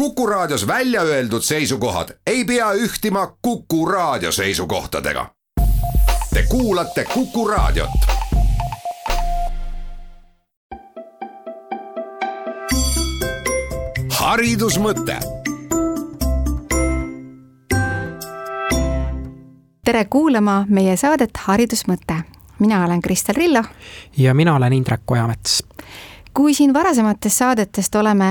Kuku Raadios välja öeldud seisukohad ei pea ühtima Kuku Raadio seisukohtadega. Te kuulate Kuku Raadiot. Haridusmõte. Tere kuulama meie saadet Haridusmõte. Mina olen Kristel Rillo. Ja mina olen Indrek Ojamets. Kui siin varasematest saadetest oleme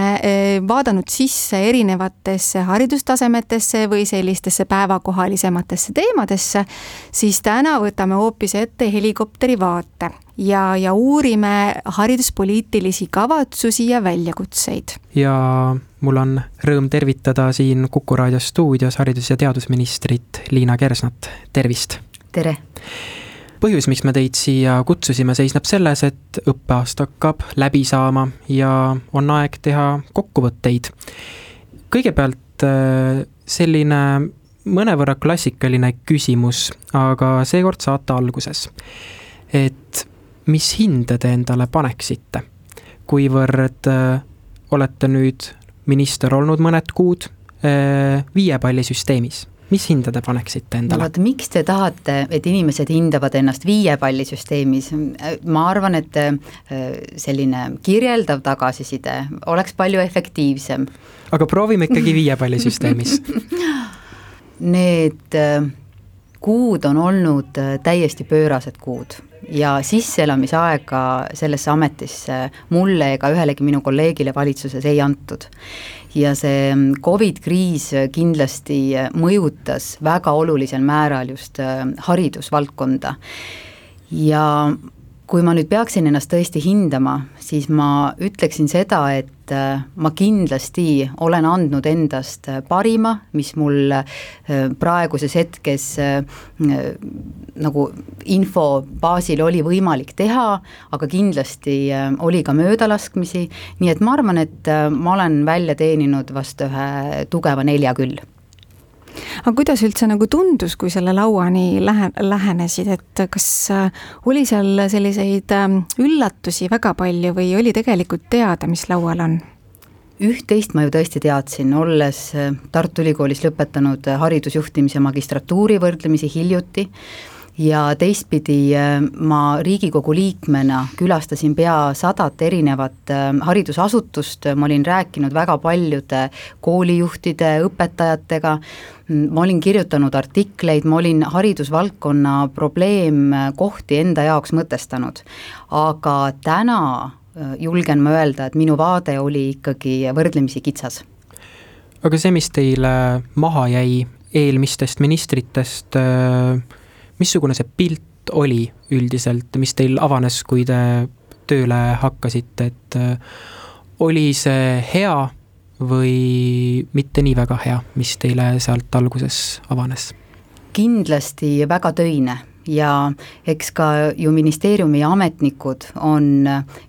vaadanud sisse erinevatesse haridustasemetesse või sellistesse päevakohalisematesse teemadesse, siis täna võtame hoopis ette helikopteri vaate ja uurime hariduspoliitilisi kavatsusi ja väljakutseid. Ja mul on rõõm tervitada siin Kuku Raadio stuudios haridus- ja teadusministrit Liina Kersnat. Tervist! Tere! Põhjus, miks me teid siia kutsusime, seisneb selles, et õppeaasta hakkab läbi saama ja on aeg teha kokkuvõtteid. Kõigepealt selline mõnevõrra klassikaline küsimus, aga seekord saate alguses. Et mis hinde te endale paneksite, kuivõrd olete nüüd minister olnud mõned kuud 5 pallisüsteemis? Mis hinde te paneksite endale? No, vaata, miks te tahate, et inimesed hindavad ennast 5 pallisüsteemis? Ma arvan, et selline kirjeldav tagasiside oleks palju efektiivsem. Aga proovime ikkagi 5 pallisüsteemis. Need kuud on olnud täiesti pöörased kuud ja sisseelamisaega sellesse ametisse mulle ega ühelegi minu kolleegile valitsuses ei antud. Ja see COVID-kriis kindlasti mõjutas väga olulisel määral just haridusvaldkonda. Ja kui ma nüüd peaksin ennast tõesti hindama, siis ma ütleksin seda, et ma kindlasti olen andnud endast parima, mis mul praeguses hetkes nagu info baasil oli võimalik teha, aga kindlasti oli ka möödalaskmisi, nii et ma arvan, et ma olen välja teeninud vast ühe tugeva 4 küll. Aga kuidas üldse nagu tundus, kui selle lauani lähenesid, et kas oli seal selliseid üllatusi väga palju või oli tegelikult teada, mis laual on? Üht-teist ma ju tõesti teadsin, olles Tartu Ülikoolis lõpetanud haridusjuhtimise magistratuuri võrdlemisi hiljuti ja teistpidi ma Riigikogu liikmena külastasin pea 100 erinevat haridusasutust, ma olin rääkinud väga paljude koolijuhtide, õpetajatega, ma olin kirjutanud artikleid, ma olin haridusvaldkonna probleemkohti enda jaoks mõtestanud, aga täna julgen ma öelda, et minu vaade oli ikkagi võrdlemisi kitsas. Aga see, mis teile maha jäi eelmistest ministritest, missugune see pilt oli üldiselt, mis teil avanes, kui te tööle hakkasite, et oli see hea või mitte nii väga hea, mis teile sealt alguses avanes? Kindlasti väga töine ja eks ka ju ministeeriumi ametnikud on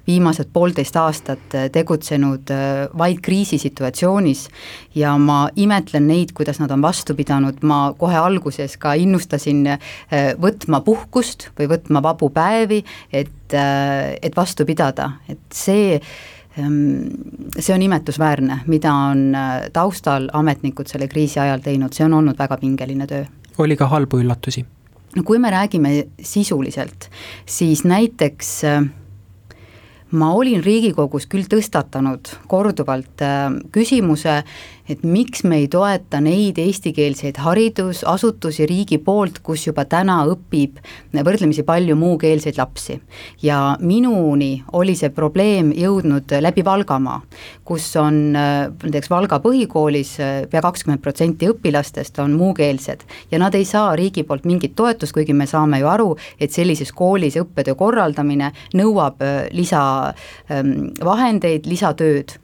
viimased 1,5 aastat tegutsenud vaid kriisisituatsioonis ja ma imetlen neid, kuidas nad on vastu pidanud. Ma kohe alguses ka innustasin võtma puhkust või võtma vabu päevi, et vastu pidada, et see on imetlusväärne, mida on taustal ametnikud selle kriisi ajal teinud, see on olnud väga pingeline töö. Oli ka halbu üllatusi? No kui me räägime sisuliselt, siis näiteks ma olin Riigikogus küll tõstatanud korduvalt küsimuse, et miks me ei toeta neid eestikeelseid haridusasutusi riigi poolt, kus juba täna õpib võrdlemisi palju muukeelseid lapsi. Ja minuni oli see probleem jõudnud läbi Valgamaa, kus on näiteks Valga põhikoolis pea 20% õpilastest on muukeelsed ja nad ei saa riigi poolt mingit toetust, kuigi me saame ju aru, et sellises koolis õppetöö korraldamine nõuab lisavahendeid, lisatööd.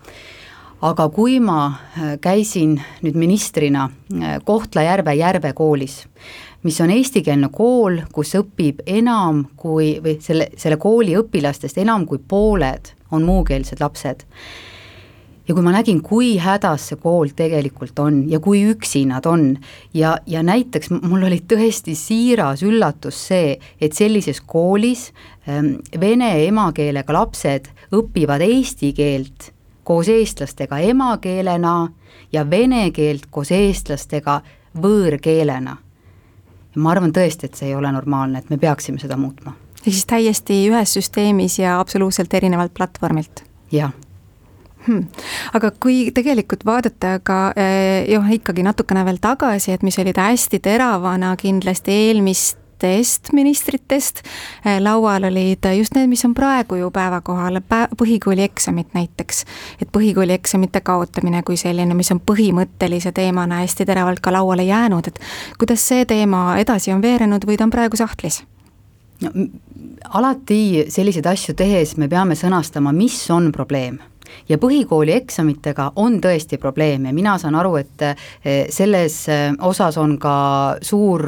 Aga kui ma käisin nüüd ministrina Kohtla-Järve Järve koolis, mis on eestikeelne kool, kus õpib enam kui, või selle kooli õpilastest enam kui pooled on muukeelsed lapsed. Ja kui ma nägin, kui hädas see kool tegelikult on ja kui üksi nad on ja näiteks mul oli tõesti siiras üllatus see, et sellises koolis vene emakeelega lapsed õpivad eesti keelt koos eestlastega emakeelena ja vene keelt koos eestlastega võõrkeelena. Ja ma arvan tõesti, et see ei ole normaalne, et me peaksime seda muutma. Ja siis täiesti ühes süsteemis ja absoluutselt erinevalt platvormilt? Jah. Aga kui tegelikult vaadata ka ikkagi natukene veel tagasi, et mis olid hästi teravana kindlasti eelmistest ministritest, laual olid just need, mis on praegu ju päevakohal, põhikooli eksamid näiteks, et põhikooli eksamite kaotamine kui selline, mis on põhimõttelise teemana hästi teravalt ka lauale jäänud, et kuidas see teema edasi on veerenud või ta on praegu sahtlis? No, alati selliseid asju tehes me peame sõnastama, mis on probleem. Ja põhikooli eksamitega on tõesti probleem ja mina saan aru, et selles osas on ka suur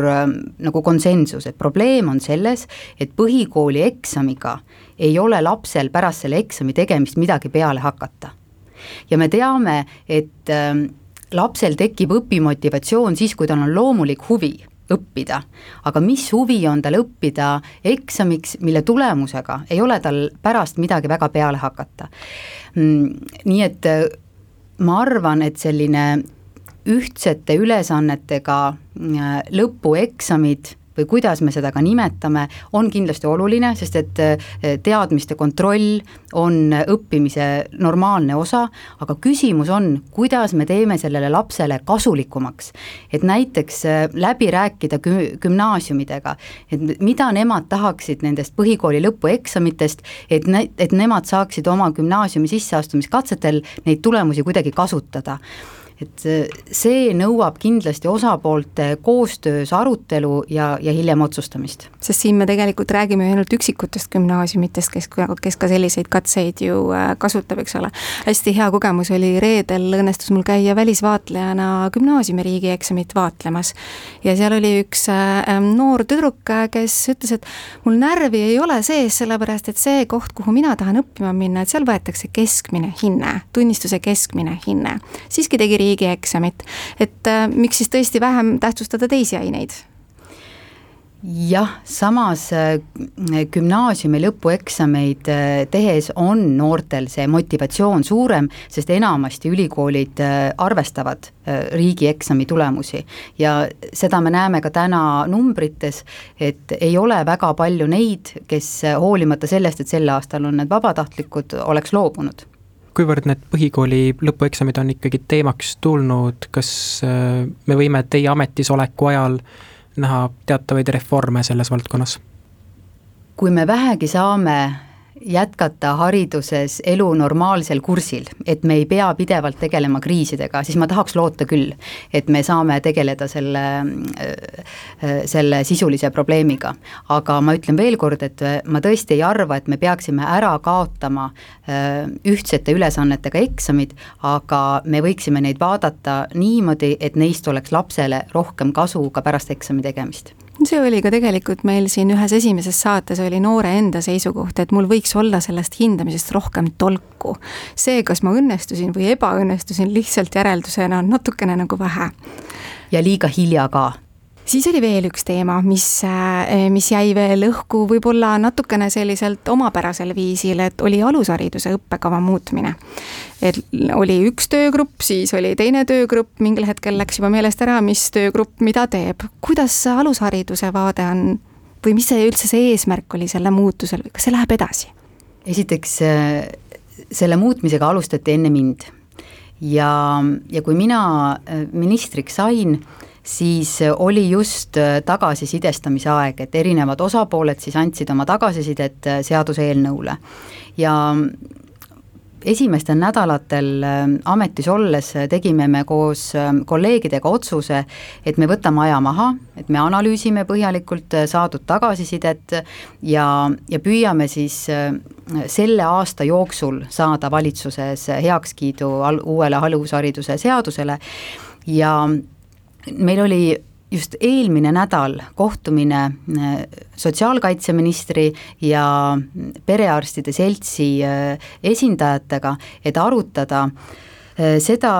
nagu konsensus, et probleem on selles, et põhikooli eksamiga ei ole lapsel pärast selle eksami tegemist midagi peale hakata. Ja me teame, et lapsel tekib õpimotivatsioon siis, kui tal on loomulik huvi õppida, aga mis huvi on tal õppida eksamiks, mille tulemusega ei ole tal pärast midagi väga peale hakata. Nii et ma arvan, et selline ühtsete ülesannetega lõpueksamid või kuidas me seda ka nimetame, on kindlasti oluline, sest et teadmiste kontroll on õppimise normaalne osa, aga küsimus on, kuidas me teeme sellele lapsele kasulikumaks. Et näiteks läbi rääkida gümnaasiumidega, et mida nemad tahaksid nendest põhikooli lõpueksamitest, et nemad saaksid oma gümnaasiumi sisseastumiskatsetel neid tulemusi kuidagi kasutada. Et see nõuab kindlasti osapoolte koostöös arutelu ja hiljem otsustamist. Sest siin me tegelikult räägime ainult üksikutest gümnaasiumitest, kes ka selliseid katseid ju kasutab, eks ole. Hästi hea kogemus oli reedel, õnnestus mul käia välisvaatlejana gümnaasiumi riigieksamit vaatlemas. Ja seal oli üks noor tüdruk, kes ütles, et mul närvi ei ole sees, sellepärast et see koht, kuhu mina tahan õppima minna, et seal võetakse keskmine hinne, tunnistuse keskmine hinne. Siiski tegi riigieksamit, et miks siis tõesti vähem tähtsustada teisi aineid? Jah, samas gümnaasiumi lõpueksameid tehes on noortel see motivatsioon suurem, sest enamasti ülikoolid arvestavad riigieksami tulemusi ja seda me näeme ka täna numbrites, et ei ole väga palju neid, kes hoolimata sellest, et sel aastal on need vabatahtlikud, oleks loobunud. Kuivõrd need põhikooli lõpueksamid on ikkagi teemaks tulnud, kas me võime teie ametisoleku ajal näha teatavaid reforme selles valdkonnas? Kui me vähegi saame jätkata hariduses elu normaalsel kursil, et me ei pea pidevalt tegelema kriisidega, siis ma tahaks loota küll, et me saame tegeleda selle sisulise probleemiga. Aga ma ütlen veel kord, et ma tõesti ei arva, et me peaksime ära kaotama ühtsete ülesannetega eksamid, aga me võiksime neid vaadata niimoodi, et neist oleks lapsele rohkem kasu ka pärast eksami tegemist. See oli ka tegelikult meil siin ühes esimeses saates oli noore enda seisukoht, et mul võiks olla sellest hindamisest rohkem tolku. See, kas ma õnnestusin või ebaõnnestusin lihtsalt järeldusena on natukene nagu vähe. Ja liiga hilja ka. Siis oli veel üks teema, mis jäi veel õhku võib-olla natukene selliselt omapärasel viisil, et oli alushariduse õppekava muutmine. Et oli üks töögrupp, siis oli teine töögrupp, mingil hetkel läks juba meelest ära, mis töögrupp mida teeb. Kuidas alushariduse vaade on või mis see üldse see eesmärk oli selle muutusel või kas see läheb edasi? Esiteks selle muutmisega alustati enne mind ja kui mina ministriks sain, siis oli just tagasisidestamise aeg, et erinevad osapooled siis andsid oma tagasisidet seaduseelnõule. Ja esimestel nädalatel ametis olles tegime me koos kolleegidega otsuse, et me võtame aja maha, et me analüüsime põhjalikult saadud tagasisidet ja püüame siis selle aasta jooksul saada valitsuses heakskiidu uuele alushariduse seadusele ja meil oli just eelmine nädal kohtumine sotsiaalkaitseministri ja perearstide seltsi esindajatega, et arutada seda,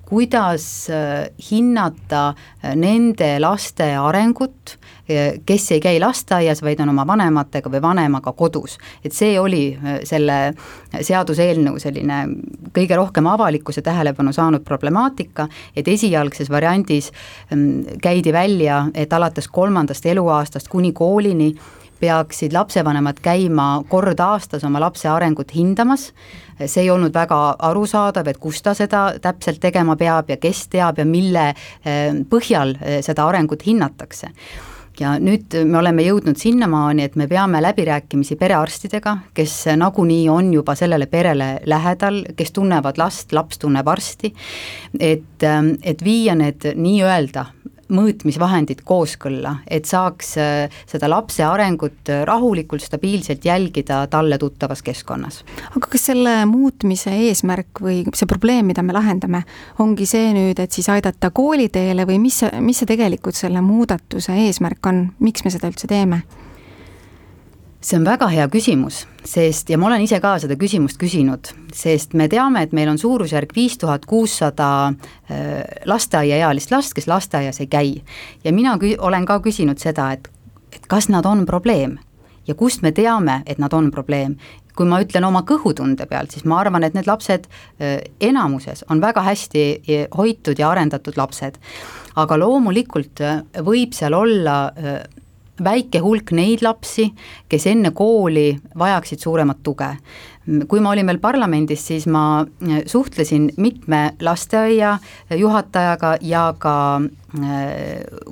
kuidas hinnata nende laste arengut, kes ei käi lasteaias, vaid on oma vanematega või vanemaga kodus. Et see oli selle seaduseelnõu selline kõige rohkem avalikkuse tähelepanu saanud problemaatika, et esialgses variandis käidi välja, et alates 3. eluaastast kuni koolini peaksid lapsevanemad käima kord aastas oma lapse arengut hindamas. See ei olnud väga arusaadav, et kus ta seda täpselt tegema peab ja kes teab ja mille põhjal seda arengut hinnatakse. Ja nüüd me oleme jõudnud sinnamaani, et me peame läbirääkimisi perearstidega, kes nagunii on juba sellele perele lähedal, kes tunnevad last, laps tunneb arsti, et viia need nii-öelda mõõtmisvahendid kooskõlla, et saaks seda lapse arengut rahulikult, stabiilselt jälgida talle tuttavas keskkonnas. Aga kas selle muutmise eesmärk või see probleem, mida me lahendame, ongi see nüüd, et siis aidata kooliteele või mis see tegelikult selle muudatuse eesmärk on, miks me seda üldse teeme? See on väga hea küsimus, sest, ja ma olen ise ka seda küsimust küsinud, sest me teame, et meil on suurusjärk 5600 lasteaiaealist last, kes lasteaias ei käi. Ja mina olen ka küsinud seda, et kas nad on probleem ja kust me teame, et nad on probleem. Kui ma ütlen oma kõhutunde pealt, siis ma arvan, et need lapsed enamuses on väga hästi hoitud ja arendatud lapsed. Aga loomulikult võib seal olla väike hulk neid lapsi, kes enne kooli vajaksid suuremat tuge. Kui ma olin veel parlamendis, siis ma suhtlesin mitme lasteaia juhatajaga ja ka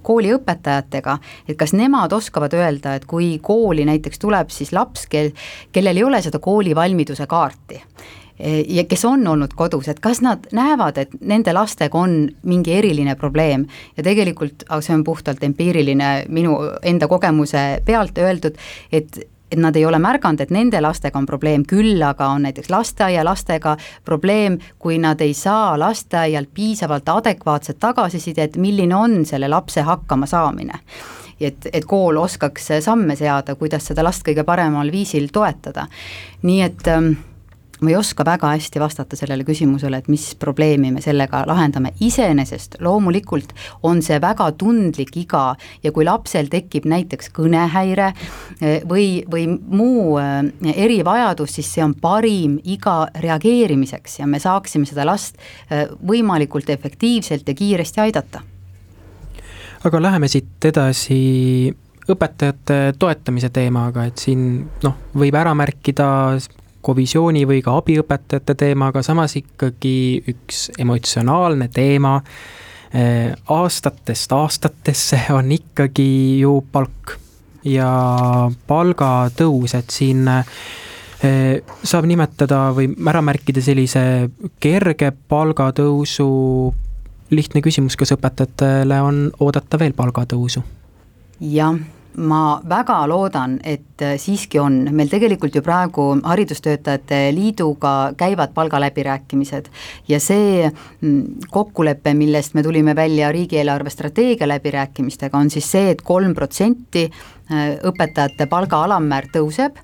kooliõpetajatega, et kas nemad oskavad öelda, et kui kooli näiteks tuleb siis laps, kellel ei ole seda koolivalmiduse kaarti, ja kes on olnud kodus, et kas nad näevad, et nende lastega on mingi eriline probleem ja tegelikult, see on puhtalt empiiriline minu enda kogemuse pealt öeldud, et nad ei ole märganud, et nende lastega on probleem, küll aga on näiteks lasteaia lastega probleem, kui nad ei saa lasteaialt piisavalt adekvaatset tagasisidet, milline on selle lapse hakkama saamine. Et kool oskaks samme seada, kuidas seda last kõige paremal viisil toetada. Nii et ma ei oska väga hästi vastata sellele küsimusele, et mis probleemi me sellega lahendame. Iseenesest loomulikult on see väga tundlik iga ja kui lapsel tekib näiteks kõnehäire või muu erivajadus, siis see on parim iga reageerimiseks ja me saaksime seda last võimalikult efektiivselt ja kiiresti aidata. Aga läheme siit edasi õpetajate toetamise teemaga, et siin võib ära märkida kovisiooni või ka abiõpetajate teema, aga samas ikkagi üks emotsionaalne teema aastatest aastatesse on ikkagi ju palk ja palgatõus, et siin saab nimetada või ära märkida sellise kerge palgatõusu. Lihtne küsimus, kas õpetajatele on oodata veel palgatõusu? Jah, ma väga loodan, et siiski on. Meil tegelikult ju praegu haridustöötajate liiduga käivad palgaläbirääkimised ja see kokkulepe, millest me tulime välja riigieelarve strateegia läbirääkimistega, on siis see, et 3% õpetajate palga alammäär tõuseb,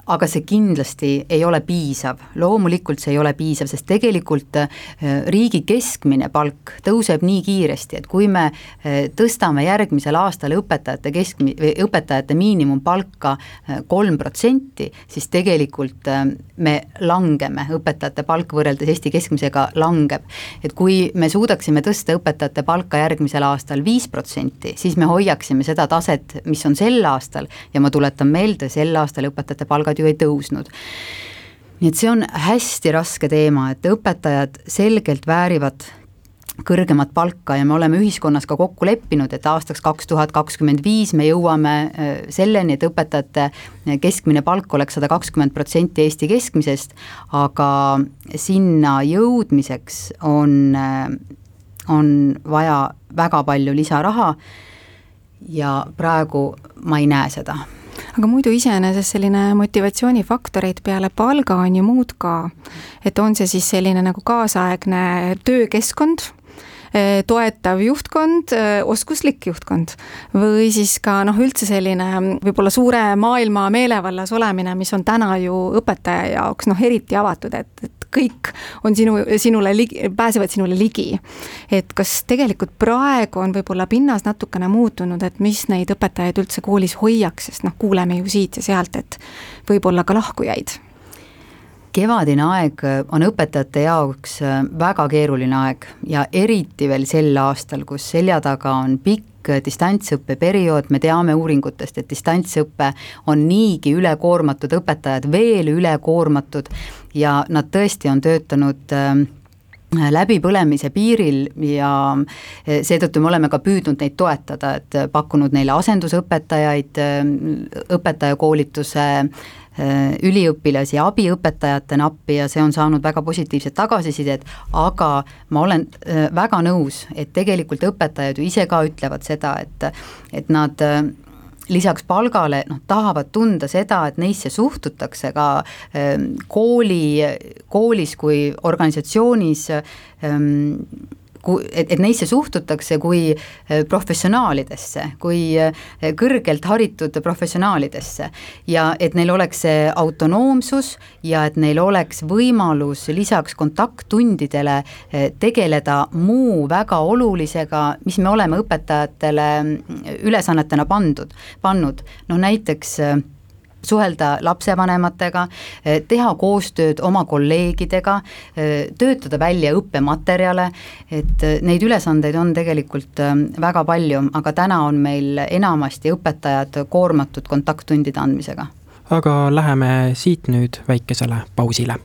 aga see kindlasti ei ole piisav. Loomulikult see ei ole piisav, sest tegelikult riigi keskmine palk tõuseb nii kiiresti, et kui me tõstame järgmisel aastal õpetajate miinimumpalka 3%, siis tegelikult me langeme, õpetajate palk võrreldes Eesti keskmisega langeb. Et kui me suudaksime tõsta õpetajate palka järgmisel aastal 5%, siis me hoiaksime seda taset, mis on sel aastal ja ma tuletan meelde, sel aastal õpetajate palgad ju ei tõusnud. Nii et see on hästi raske teema, et õpetajad selgelt väärivad kõrgemat palka ja me oleme ühiskonnas ka kokku leppinud, et aastaks 2025 me jõuame selleni, et õpetajate keskmine palk oleks 120% Eesti keskmisest, aga sinna jõudmiseks on vaja väga palju lisaraha ja praegu ma ei näe seda. Aga muidu iseenesest selline motivatsioonifaktoreid peale palga on ju muud ka, et on see siis selline nagu kaasaegne töökeskkond, toetav juhtkond, oskuslik juhtkond või siis ka üldse selline võib-olla suure maailma meelevallas olemine, mis on täna ju õpetaja jaoks eriti avatud, et kõik on pääsevad sinule ligi. Et kas tegelikult praegu on võib-olla pinnas natukene muutunud, et mis neid õpetajaid üldse koolis hoiaks, sest kuuleme ju siit ja sealt, et võib-olla ka lahkujaid? Kevadine aeg on õpetajate jaoks väga keeruline aeg ja eriti veel sel aastal, kus selja taga on pikk distantsõppe periood, me teame uuringutest, et distantsõppe on niigi ülekoormatud, õpetajad veel ülekoormatud ja nad tõesti on töötanud läbipõlemise piiril ja seetõttu me oleme ka püüdnud neid toetada, et pakkunud neile asendusõpetajaid, õpetajakoolituse üliõpilasi ja abiõpetajatena appi ja see on saanud väga positiivset tagasisidet, aga ma olen väga nõus, et tegelikult õpetajad ju ise ka ütlevad seda, et nad lisaks palgale tahavad tunda seda, et neisse suhtutakse ka koolis kui organisatsioonis, et neisse suhtutakse kui professionaalidesse, kui kõrgelt haritud professionaalidesse ja et neil oleks see autonoomsus ja et neil oleks võimalus lisaks kontakttundidele tegeleda muu väga olulisega, mis me oleme õpetajatele ülesannetena pannud. Näiteks suhelda lapsevanematega, teha koostööd oma kolleegidega, töötada välja õppematerjale, et neid ülesandeid on tegelikult väga palju, aga täna on meil enamasti õpetajad koormatud kontakttundide andmisega. Aga läheme siit nüüd väikesele pausile.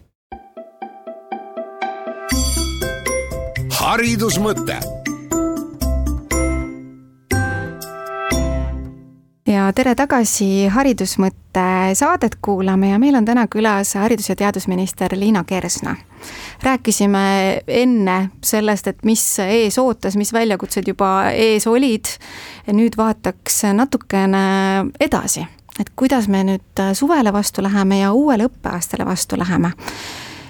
Haridusmõte. Ja tere tagasi Haridusmõtte saadet kuulame ja meil on täna külas haridus- ja teadusminister Liina Kersna. Rääkisime enne sellest, et mis ees ootas, mis väljakutsed juba ees olid ja nüüd vaataks natukene edasi, et kuidas me nüüd suvele vastu läheme ja uuele õppeaastale vastu läheme.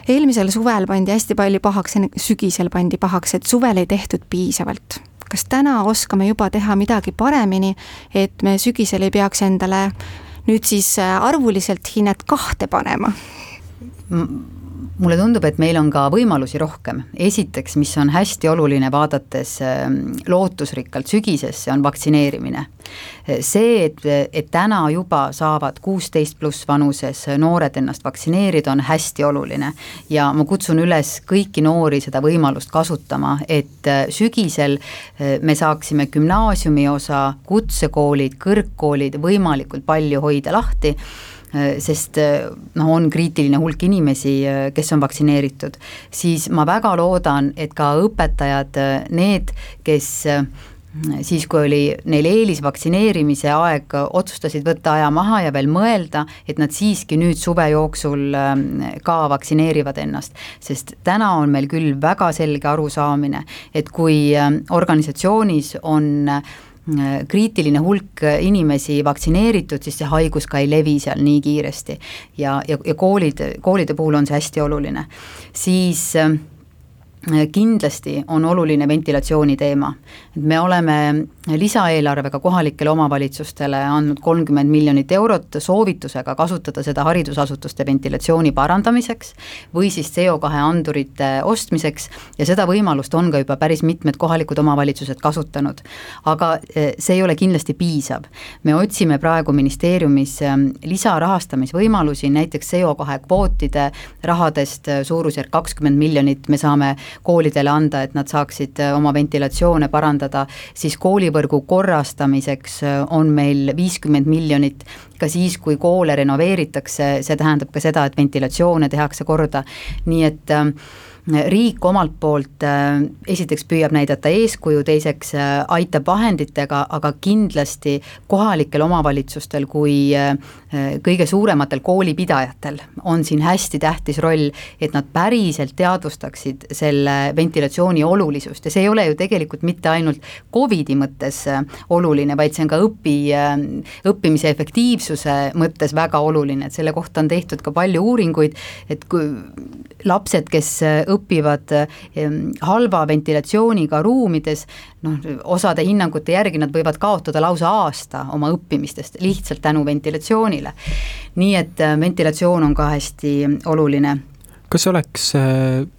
Eelmisel suvel pandi hästi palju pahaks, sügisel pandi pahaks, et suvel ei tehtud piisavalt. Kas täna oskame juba teha midagi paremini, et me sügisel ei peaks endale nüüd siis arvuliselt hinnet 2 panema? Mulle tundub, et meil on ka võimalusi rohkem. Esiteks, mis on hästi oluline vaadates lootusrikkalt sügisesse, on vaktsineerimine. See, et täna juba saavad 16+ vanuses noored ennast vaktsineerida, on hästi oluline ja ma kutsun üles kõiki noori seda võimalust kasutama, et sügisel me saaksime gümnaasiumi osa, kutsekoolid, kõrgkoolid võimalikult palju hoida lahti, sest on kriitiline hulk inimesi, kes on vaktsineeritud, siis ma väga loodan, et ka õpetajad, need, kes siis, kui oli neil eelisvaktsineerimise aeg, otsustasid võtta aja maha ja veel mõelda, et nad siiski nüüd suve jooksul ka vaktsineerivad ennast, sest täna on meil küll väga selge arusaamine, et kui organisatsioonis on kriitiline hulk inimesi vaktsineeritud, siis see haigus ka ei levi seal nii kiiresti ja koolide puhul on see hästi oluline. Siis kindlasti on oluline ventilatsiooni teema. Me oleme lisaeelarvega kohalikele omavalitsustele andnud 30 miljonit eurot soovitusega kasutada seda haridusasutuste ventilatsiooni parandamiseks või siis CO2 andurite ostmiseks ja seda võimalust on ka juba päris mitmed kohalikud omavalitsused kasutanud. Aga see ei ole kindlasti piisav. Me otsime praegu ministeeriumis lisarahastamisvõimalusi, näiteks CO2 kvootide rahadest suurusjärk 20 miljonit me saame koolidele anda, et nad saaksid oma ventilatsioone parandada, siis koolivõrgu korrastamiseks on meil 50 miljonit, ka siis, kui koole renoveeritakse, see tähendab ka seda, et ventilatsioone tehakse korda, nii et riik omalt poolt esiteks püüab näidata eeskuju, teiseks aitab vahenditega, aga kindlasti kohalikel omavalitsustel kui kõige suurematel koolipidajatel on siin hästi tähtis roll, et nad päriselt teadvustaksid selle ventilatsiooni olulisust ja see ei ole ju tegelikult mitte ainult COVID-i mõttes oluline, vaid see on ka õppimise efektiivsuse mõttes väga oluline, et selle kohta on tehtud ka palju uuringuid, et kui lapsed, kes õpivad halva ventilatsiooniga ruumides, osade hinnangute järgi nad võivad kaotada lausa aasta oma õppimistest lihtsalt tänu ventilatsioonile. Nii et ventilatsioon on ka hästi oluline. Kas oleks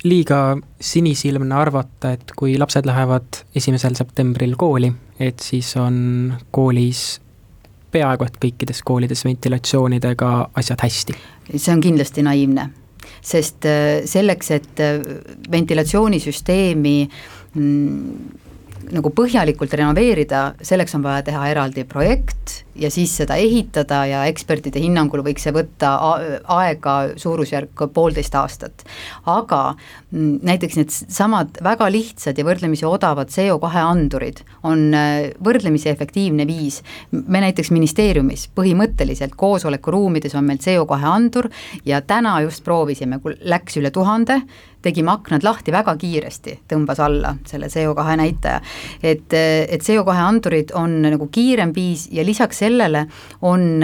liiga sinisilmne arvata, et kui lapsed lähevad 1. septembril kooli, et siis on koolis peaaegu et kõikides koolides ventilatsioonidega asjad hästi? See on kindlasti naiivne, sest selleks, et ventilatsioonisüsteemi nagu põhjalikult renoveerida, selleks on vaja teha eraldi projekt ja siis seda ehitada ja ekspertide hinnangul võiks see võtta aega suurusjärk 1,5 aastat. Aga näiteks need samad väga lihtsad ja võrdlemisi odavad CO2 andurid on võrdlemisi efektiivne viis. Me näiteks ministeeriumis põhimõtteliselt koosolekuruumides on meil CO2 andur ja täna just proovisime, kui läks üle 1000, tegime aknad lahti väga kiiresti, tõmbas alla selle CO2 näitaja. Et CO2 andurid on nagu kiirem viis ja lisaks sellele on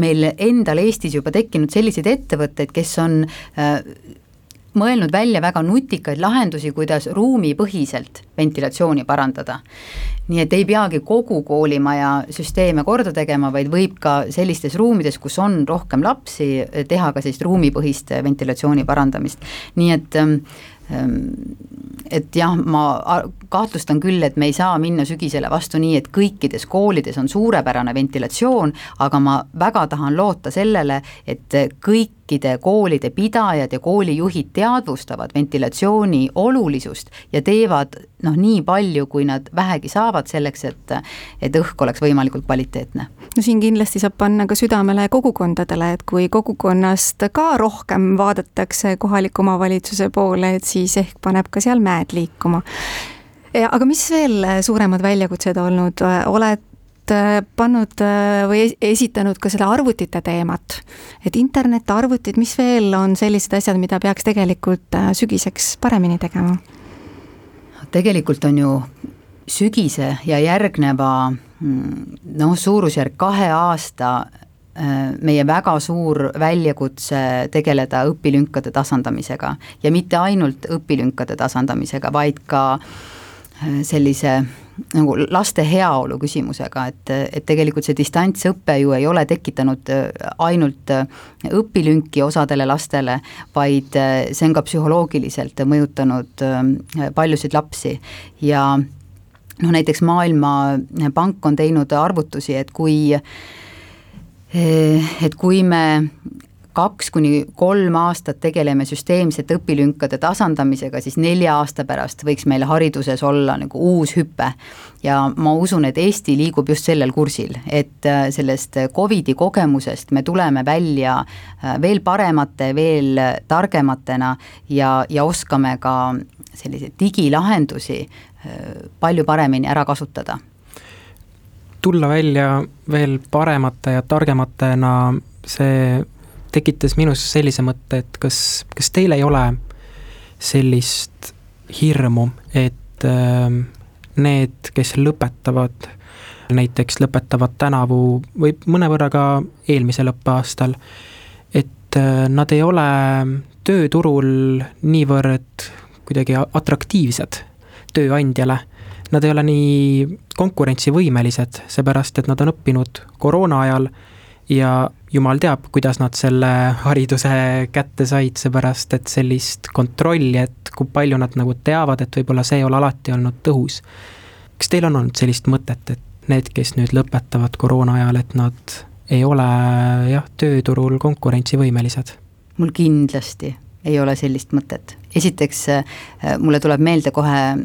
meil endal Eestis juba tekkinud selliseid ettevõtteid, kes on mõelnud välja väga nutikaid lahendusi, kuidas ruumipõhiselt ventilatsiooni parandada. Nii et ei peagi kogu koolimaja süsteeme korda tegema, vaid võib ka sellistes ruumides, kus on rohkem lapsi, teha ka sellist ruumipõhist ventilatsiooni parandamist. Nii et jah, ma kahtlustan küll, et me ei saa minna sügisele vastu nii, et kõikides koolides on suurepärane ventilatsioon, aga ma väga tahan loota sellele, et kõikide koolide pidajad ja koolijuhid teadvustavad ventilatsiooni olulisust ja teevad nii palju, kui nad vähegi saavad selleks, et õhk oleks võimalikult kvaliteetne. No siin kindlasti saab panna ka südamele kogukondadele, et kui kogukonnast ka rohkem vaadatakse kohaliku omavalitsuse poole, et siis ehk paneb ka seal mäed liikuma. Aga mis veel suuremad väljakutsed olnud? Oled pannud või esitanud ka seda arvutite teemat, et internet, arvutid, mis veel on sellised asjad, mida peaks tegelikult sügiseks paremini tegema? Tegelikult on ju sügise ja järgneva suurusjärk 2 aasta meie väga suur väljakutse tegeleda õpilünkade tasandamisega ja mitte ainult õpilünkade tasandamisega, vaid ka sellise nagu laste heaolu küsimusega, et tegelikult see distantsõpe ju ei ole tekitanud ainult õpilünki osadele lastele, vaid see on ka psühholoogiliselt mõjutanud paljusid lapsi ja näiteks Maailmapank on teinud arvutusi, et kui me 2-3 aastat tegeleme süsteemsete õpilünkade tasandamisega, siis 4 aasta pärast võiks meil hariduses olla nagu uus hüpe. Ja ma usun, et Eesti liigub just sellel kursil, et sellest COVID-i kogemusest me tuleme välja veel paremate, veel targematena ja oskame ka selliseid digilahendusi palju paremini ära kasutada. Tulla välja veel paremate ja targematena, see tekitas minus sellise mõtte, et kas teil ei ole sellist hirmu, et need, kes lõpetavad, näiteks lõpetavad tänavu või mõnevõrra ka eelmisel õppeaastal, et nad ei ole tööturul niivõrd kuidagi atraktiivsed tööandjale. Nad ei ole nii konkurentsivõimelised, seepärast, et nad on õppinud koroona ajal ja jumal teab, kuidas nad selle hariduse kätte said, seepärast, et sellist kontrolli, et kui palju nad nagu teavad, et võib-olla see ei ole alati olnud tõhus. Kas teil on olnud sellist mõtet, et need, kes nüüd lõpetavad koroona ajal, et nad ei ole tööturul konkurentsivõimelised? Mul kindlasti ei ole sellist mõtet. Esiteks, mulle tuleb meelde kohe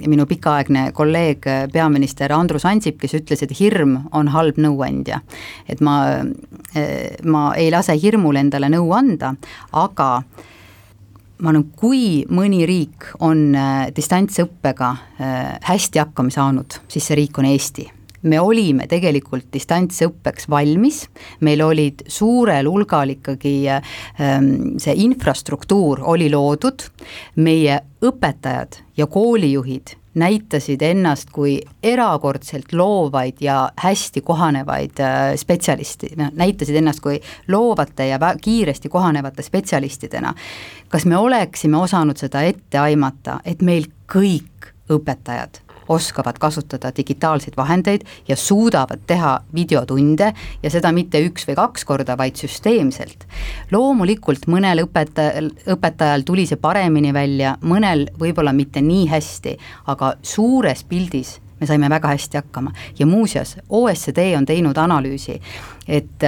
minu pikaaegne kolleeg, peaminister Andrus Ansip, kes ütles, et hirm on halb nõuandja. Et ma ei lase hirmul endale nõu anda, aga ma arvan, kui mõni riik on distantsõppega hästi hakkama saanud, siis see riik on Eesti. Me olime tegelikult distantsõppeks valmis, meil olid suurel hulgal ikkagi see infrastruktuur oli loodud, meie õpetajad ja koolijuhid näitasid ennast kui erakordselt loovaid ja hästi kohanevaid spetsialisti, näitasid ennast kui loovate ja kiiresti kohanevate spetsialistidena. Kas me oleksime osanud seda ette aimata, et meil kõik õpetajad oskavad kasutada digitaalseid vahendeid ja suudavad teha videotunde ja seda mitte 1 või 2 korda, vaid süsteemselt. Loomulikult mõnel õpetajal tuli see paremini välja, mõnel võib-olla mitte nii hästi, aga suures pildis me saime väga hästi hakkama. Ja muuseas, OECD on teinud analüüsi, et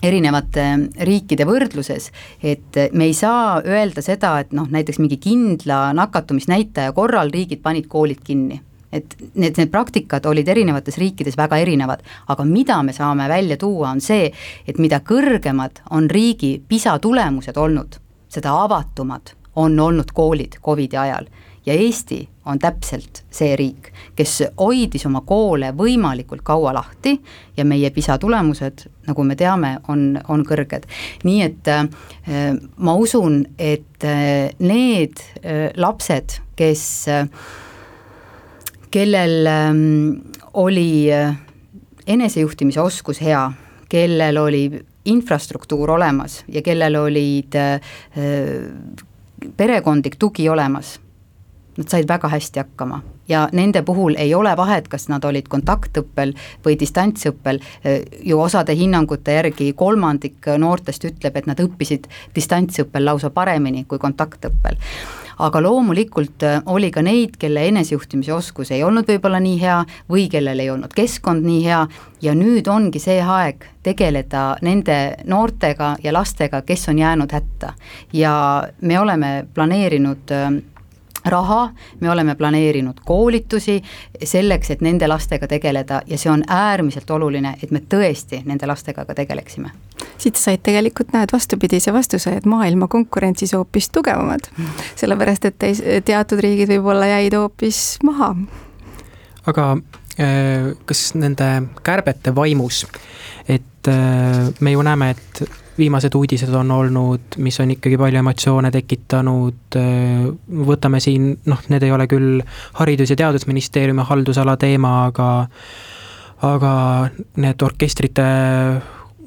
erinevate riikide võrdluses, et me ei saa öelda seda, et näiteks mingi kindla nakatumisnäitaja korral riigid panid koolid kinni. Et need praktikad olid erinevates riikides väga erinevad, aga mida me saame välja tuua on see, et mida kõrgemad on riigi PISA tulemused olnud, seda avatumad on olnud koolid COVID-i ajal. Ja Eesti on täpselt see riik, kes hoidis oma koole võimalikult kaua lahti ja meie PISA tulemused, nagu me teame, on kõrged. Nii et ma usun, et need lapsed, kellel oli enesejuhtimise oskus hea, kellel oli infrastruktuur olemas ja kellel olid perekondlik tugi olemas, nad said väga hästi hakkama ja nende puhul ei ole vahet, kas nad olid kontaktõppel või distantsõppel, ju osade hinnangute järgi 1/3 noortest ütleb, et nad õppisid distantsõppel lausa paremini kui kontaktõppel. Aga loomulikult oli ka neid, kelle enesejuhtimise oskus ei olnud võib-olla nii hea või kellel ei olnud keskkond nii hea ja nüüd ongi see aeg tegeleda nende noortega ja lastega, kes on jäänud hätta. Ja me oleme planeerinud raha, me oleme planeerinud koolitusi selleks, et nende lastega tegeleda ja see on äärmiselt oluline, et me tõesti nende lastega ka tegeleksime. Siit said tegelikult vastupidise vastuse, et maailma konkurentsis hoopis tugevamad, sellepärast et teatud riigid võib-olla jäid hoopis maha. Aga kas nende kärbete vaimus, et me ju näeme, et viimased uudised on olnud, mis on ikkagi palju emotsioone tekitanud, võtame siin, need ei ole küll Haridus- ja Teadusministeeriumi haldusala teema, aga need orkestrite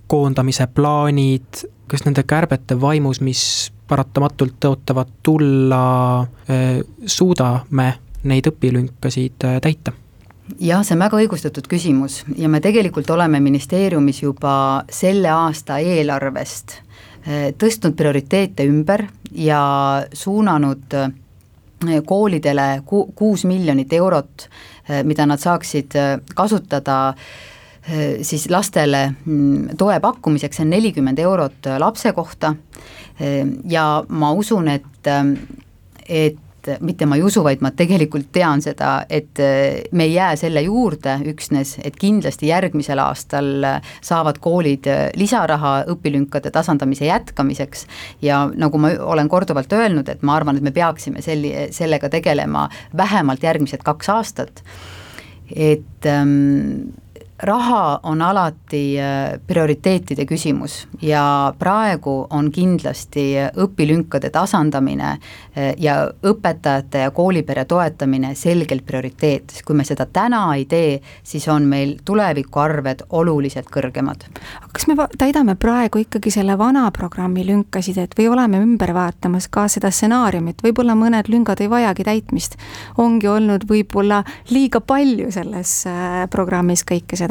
koondamise plaanid, kas nende kärbete vaimus, mis paratamatult tõotavad tulla, suudame neid õpilünkasid täita? Jah, see on väga õigustatud küsimus ja me tegelikult oleme ministeeriumis juba selle aasta eelarvest tõstnud prioriteete ümber ja suunanud koolidele 6 miljonit eurot, mida nad saaksid kasutada siis lastele toe pakkumiseks, see on 40 eurot lapse kohta ja ma usun, et mitte ma ei usu, vaid ma tegelikult tean seda, et me ei jää selle juurde üksnes, et kindlasti järgmisel aastal saavad koolid lisaraha õpilünkade tasandamise jätkamiseks ja nagu ma olen korduvalt öelnud, et ma arvan, et me peaksime sellega tegelema vähemalt järgmised 2 aastat, et raha on alati prioriteetide küsimus ja praegu on kindlasti õpilünkade tasandamine ja õpetajate ja koolipere toetamine selgelt prioriteet. Kui me seda täna ei tee, siis on meil tulevikuarved oluliselt kõrgemad. Kas me täidame praegu ikkagi selle vana programmi lünkasid, et või oleme ümber vaatamas ka seda stsenaariumit, võib-olla mõned lüngad ei vajagi täitmist, ongi olnud võib-olla liiga palju selles programmis kõike seda?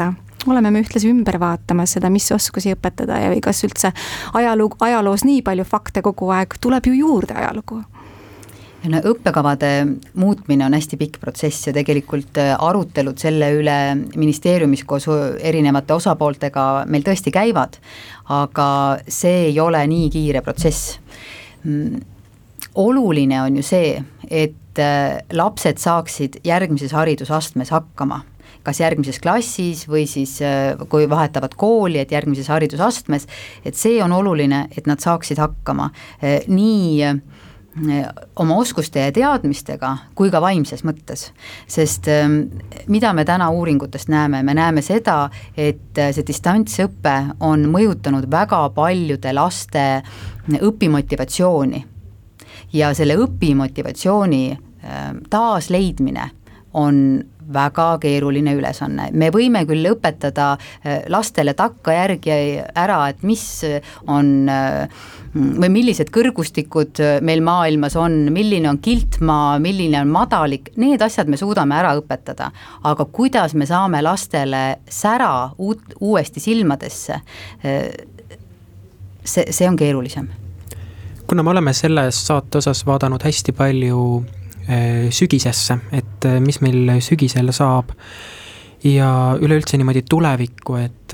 Oleme me ühtlasi ümber vaatamas seda, mis oskusi õpetada ja või kas üldse ajaloos nii palju fakte kogu aeg, tuleb ju juurde ajalugu? Õppekavade muutmine on hästi pikk protsess ja tegelikult arutelud selle üle ministeeriumis koos erinevate osapooltega meil tõesti käivad, aga see ei ole nii kiire protsess. Oluline on ju see, et lapsed saaksid järgmises haridusastmes hakkama, kas järgmises klassis või siis kui vahetavad kooli, et järgmises haridusastmes, et see on oluline, et nad saaksid hakkama nii oma oskuste ja teadmistega kui ka vaimses mõttes, sest mida me täna uuringutest näeme, me näeme seda, et see distantsõpe on mõjutanud väga paljude laste õpimotivatsiooni ja selle õpimotivatsiooni taasleidmine on väga keeruline ülesanne. Me võime küll õpetada lastele takkajärgi ära, et mis on või millised kõrgustikud meil maailmas on, milline on kiltmaa, milline on madalik, need asjad me suudame ära õpetada, aga kuidas me saame lastele sära uuesti silmadesse, see on keerulisem. Kuna me oleme selles saate osas vaadanud hästi palju sügisesse, et mis meil sügisel saab ja üleüldse niimoodi tulevikku, et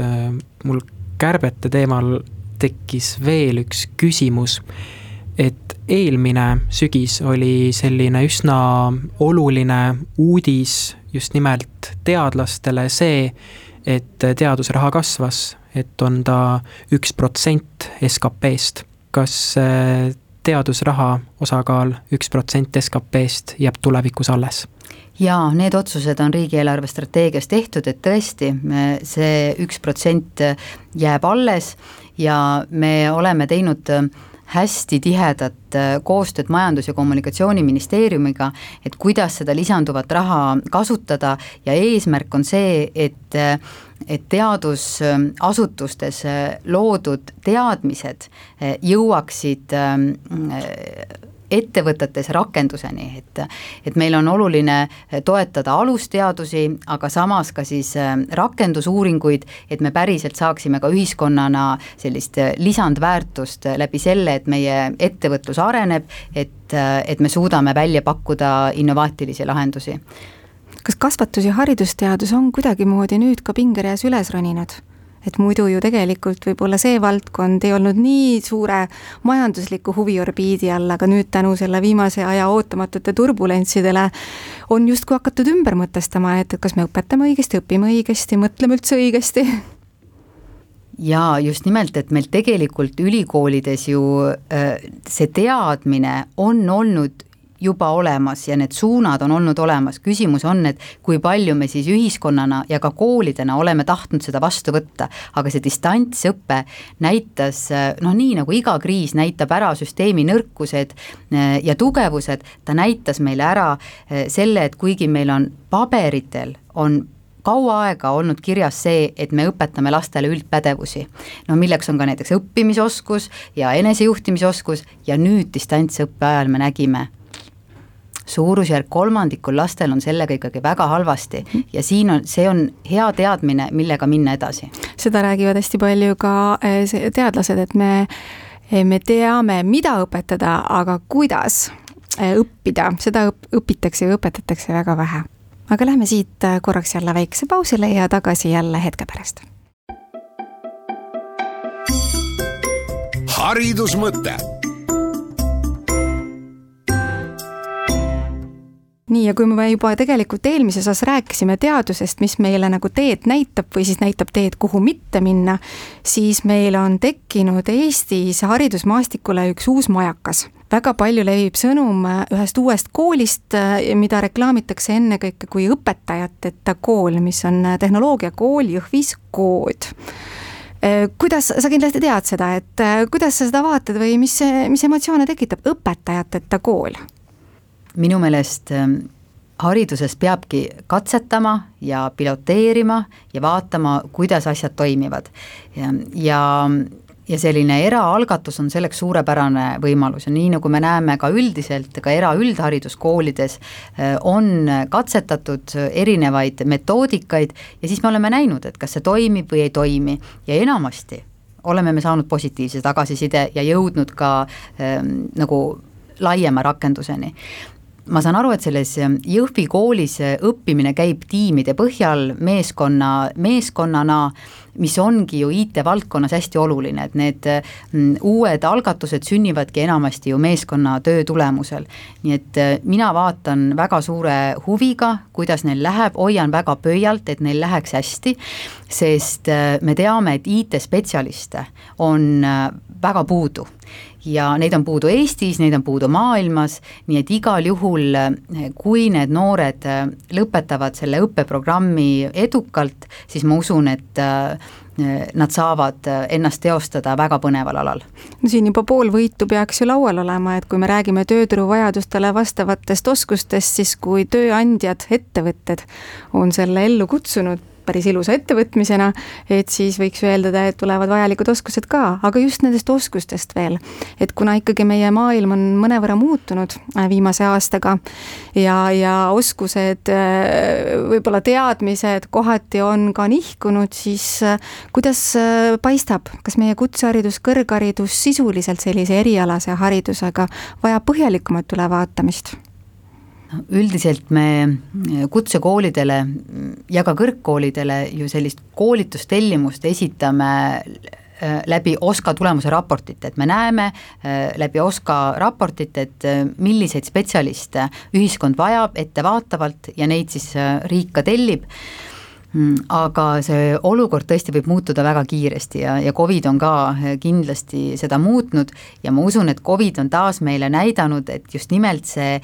mul kärbete teemal tekkis veel üks küsimus, et eelmine sügis oli selline üsna oluline uudis just nimelt teadlastele see, et teadusraha kasvas, et on ta 1% SKP-st. Kas teadusraha osakaal 1% SKP-st jääb tulevikus alles? Jaa, need otsused on riigieelarve strateegias tehtud, et tõesti see 1% jääb alles ja me oleme teinud hästi tihedat koostööd Majandus- ja Kommunikatsiooniministeeriumiga, et kuidas seda lisanduvat raha kasutada ja eesmärk on see, et teadusasutustes loodud teadmised jõuaksid ettevõtetes rakenduseni, et meil on oluline toetada alusteadusi, aga samas ka siis rakendusuuringuid, et me päriselt saaksime ka ühiskonnana sellist lisandväärtust läbi selle, et meie ettevõtlus areneb, et me suudame välja pakkuda innovaatilisi lahendusi. Kas kasvatus- ja haridusteadus on kuidagimoodi nüüd ka pingereas üles roninud? Et muidu ju tegelikult võib-olla see valdkond ei olnud nii suure majandusliku huviorbiidi all, aga nüüd tänu selle viimase aja ootamatute turbulentsidele on justkui hakatud ümber mõtestama, et kas me õpetame õigesti, õpime õigesti, mõtleme üldse õigesti? Jaa, just nimelt, et meil tegelikult ülikoolides ju see teadmine on olnud juba olemas ja need suunad on olnud olemas. Küsimus on, et kui palju me siis ühiskonnana ja ka koolidena oleme tahtnud seda vastu võtta, aga see distantsõppe näitas, nii nagu iga kriis näitab ära süsteemi nõrkused ja tugevused, ta näitas meile ära selle, et kuigi meil on paberitel, on kaua aega olnud kirjas see, et me õpetame lastele üldpädevusi. Milleks on ka näiteks õppimisoskus ja enesejuhtimisoskus ja nüüd distantsõppe ajal me nägime, suurusjärk 3% lastel on sellega ikkagi väga halvasti ja see on hea teadmine, millega minna edasi. Seda räägivad hästi palju ka teadlased, et me teame, mida õpetada, aga kuidas õppida, seda õpitakse ja õpetatakse väga vähe. Aga lähme siit korraks jälle väikse pausile ja tagasi jälle hetke pärast. Haridusmõte. Nii, ja kui me juba tegelikult eelmises osas rääkisime teadusest, mis meile nagu teed näitab või siis näitab teed, kuhu mitte minna, siis meil on tekkinud Eestis haridusmaastikule üks uus majakas. Väga palju levib sõnum ühest uuest koolist, mida reklaamitakse ennekõike kui õpetajateta kool, mis on tehnoloogiakool Jõhvis Kood. Kuidas, sa kindlasti tead seda, et kuidas sa seda vaatad või mis emotsioone tekitab õpetajateta kool? Minu meelest hariduses peabki katsetama ja piloteerima ja vaatama, kuidas asjad toimivad. Ja selline eraalgatus on selleks suurepärane võimalus ja nii nagu me näeme ka üldiselt, ka üldhariduskoolides on katsetatud erinevaid metoodikaid ja siis me oleme näinud, et kas see toimib või ei toimi ja enamasti oleme me saanud positiivse tagasiside ja jõudnud ka nagu laiema rakenduseni. Ma saan aru, et selles Jõhvi koolis õppimine käib tiimide põhjal meeskonnana, mis ongi ju IT-valdkonnas hästi oluline, et need uued algatused sünnivadki enamasti ju meeskonna töö tulemusel. Nii et mina vaatan väga suure huviga, kuidas neil läheb, hoian väga pöialt, et neil läheks hästi, sest me teame, et IT-spetsialiste on väga puudu. ja neid on puudu Eestis, neid on puudu maailmas, nii et igal juhul, kui need noored lõpetavad selle õppeprogrammi edukalt, siis ma usun, et nad saavad ennast teostada väga põneval alal. No siin juba pool võitu peaks ju laual olema, et kui me räägime tööturu vajadustele vastavatest oskustest, siis kui tööandjad, ettevõtted on selle ellu kutsunud päris ilusa ettevõtmisena, et siis võiks öeldada, et tulevad vajalikud oskused ka, aga just nendest oskustest veel. Et kuna ikkagi meie maailm on mõnevõrra muutunud viimase aastaga ja oskused, võib-olla teadmised kohati on ka nihkunud, siis kuidas paistab, kas meie kutseharidus, kõrgharidus sisuliselt sellise erialase haridusega vajab põhjalikumat ülevaatamist? Üldiselt me kutsekoolidele ja ka kõrgkoolidele ju sellist koolitustellimust esitame läbi OSKA tulemuse raportit, et me näeme läbi OSKA raportit, et milliseid spetsialiste ühiskond vajab ettevaatavalt ja neid siis riik ka tellib. Aga see olukord tõesti võib muutuda väga kiiresti ja COVID on ka kindlasti seda muutnud ja ma usun, et COVID on taas meile näidanud, et just nimelt see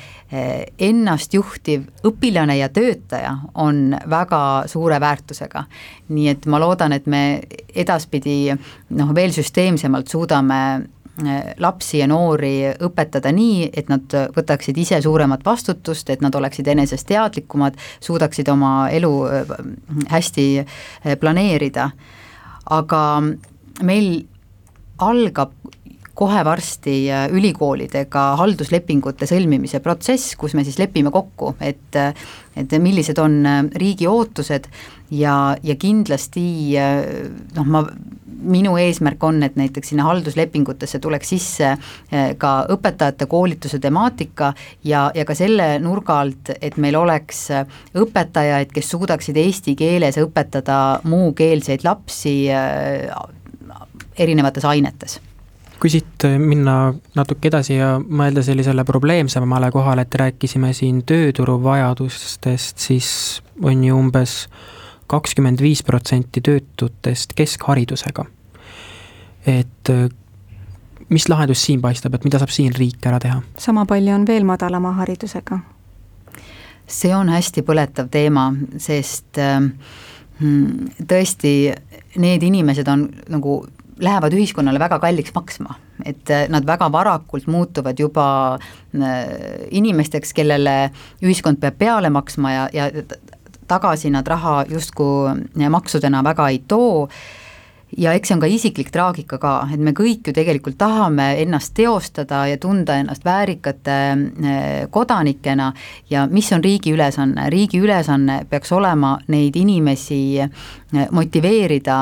ennastjuhtiv õpilane ja töötaja on väga suure väärtusega. Nii et ma loodan, et me edaspidi veel süsteemsemalt suudame lapsi ja noori õpetada nii, et nad võtaksid ise suuremat vastutust, et nad oleksid enesest teadlikumad, suudaksid oma elu hästi planeerida. Aga meil algab kohe varsti ülikoolidega halduslepingute sõlmimise protsess, kus me siis lepime kokku, et millised on riigi ootused ja kindlasti minu eesmärk on, et näiteks sinna halduslepingutesse tuleks sisse ka õpetajate koolituse temaatika ja ka selle nurga alt, et meil oleks õpetajaid, kes suudaksid eesti keeles õpetada muukeelseid lapsi erinevates ainetes. Kui siit minna natuke edasi ja mõelda sellisele probleemsemale kohale, et rääkisime siin tööturu vajadustest, siis on ju umbes 25% töötutest keskharidusega. Et mis lahendus siin paistab, et mida saab siin riik ära teha? Sama palju on veel madalama haridusega. See on hästi põletav teema, sest tõesti need inimesed on lähevad ühiskonnale väga kalliks maksma, et nad väga varakult muutuvad juba inimesteks, kellele ühiskond peab peale maksma ja tagasi nad raha justkui maksudena väga ei too ja eks see on ka isiklik traagika ka, et me kõik ju tegelikult tahame ennast teostada ja tunda ennast väärikate kodanikena ja mis on riigi ülesanne? Riigi ülesanne peaks olema neid inimesi motiveerida,